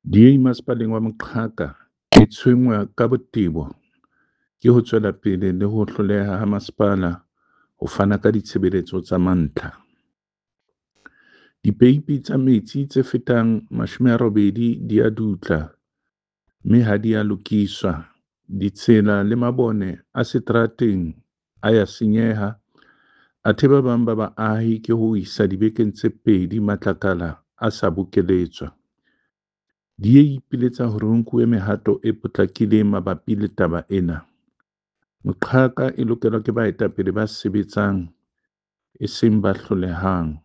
DA Masepaleng wa Moqhaka e tshwenngwa ka botebo ke ho tswela pele le ho hloleha ha masepala ho fana ka ditshebeletso tsa mantlha. Dipeipi tsa metsi tse fetang 80 di a dutla mme ha di a lokiswa, ditsela le mabone a seterateng a ya senyeha athe ba bang ba baahi ke ho isa dibekeng tse pedi matlakala a sa bokeletswa. DA e ipiletsa hore ho nkuwe mehato e potlakileng mabapi le taba ena. Moqhaka e lokelwa ke baetapele ba sebetsang, e seng ba hlolehang.